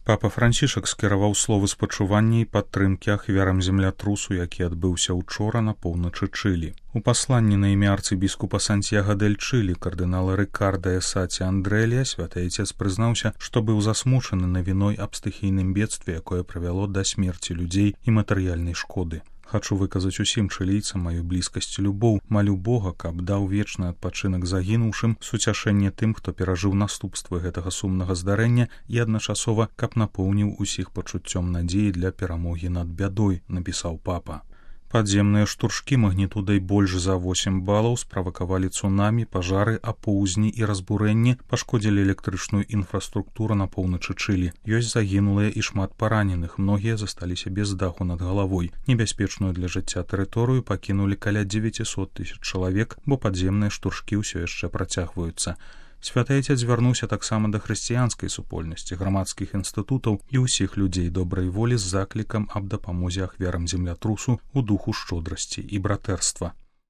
Папа Францішак скіраваў словы спачування і падтрымкі ахвярам землятрусу, які адбыўся ўчора на поўначы Чылі. У пасланні на імя арцыбіскупа Сантьяго дель Чылі кардынала Рикарда Эсаці Андрэлія святы айцец прызнаўся, што быў засмучаны навіной аб стыхійным бедстве, якое прывяло да смерці людзей і матэрыяльнай шкоды. Хачу выказаць усім чылійцам маю блізкасць і любоў, малю Бога, каб даў вечны адпачынак загінуўшым, суцяшэнне тым, хто перажыў наступствы гэтага сумнага здарэння і адначасова, каб напоўніў усіх пачуццём надзеі для перамогі над бядой, напісаў папа. Падземныя штуршкі магнітудай больш за 8 балаў справакавалі цунамі, пажары, апоўзні і разбурэнні, пашкодзілі электрычную інфраструктуру на поўначы Чылі. Ёсць загінулыя і шмат параненых, многія засталіся без даху над галавой. Небяспечную для жыцця тэрыторыю пакінулі каля 900 000 чалавек, бо падземныя штуршкі ўсё яшчэ працягваюцца. Святы айцец звярнуўся таксама да хрысціянскай супольнасці, грамадскіх інстытутаў і ўсіх людзей добрай волі з заклікам аб дапамозе ахвярам землятрусу ў духу шчодрасці і братэрства.